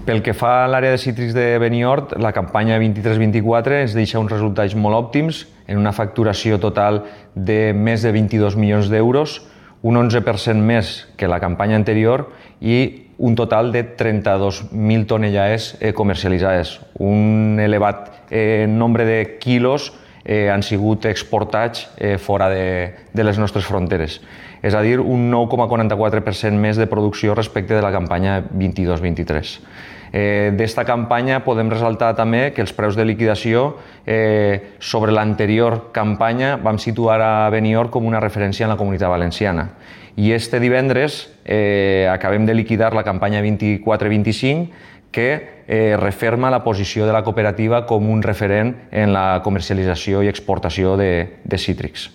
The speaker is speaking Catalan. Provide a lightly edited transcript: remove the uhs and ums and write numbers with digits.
Pel que fa a l'àrea de cítrics de Benihord, la campanya 23-24 ens deixa uns resultats molt òptims, en una facturació total de més de 22 milions d'euros, un 11% més que la campanya anterior i un total de 32.000 tonellades comercialitzades. Un elevat nombre de quilos han sigut exportats fora de les nostres fronteres. És a dir, un 9,44% més de producció respecte de la campanya 22-23. D'esta campanya podem ressaltar també que els preus de liquidació sobre l'anterior campanya vam situar a Benihord com una referència en la Comunitat Valenciana. I este divendres acabem de liquidar la campanya 24-25 que referma la posició de la cooperativa com un referent en la comercialització i exportació de cítrics.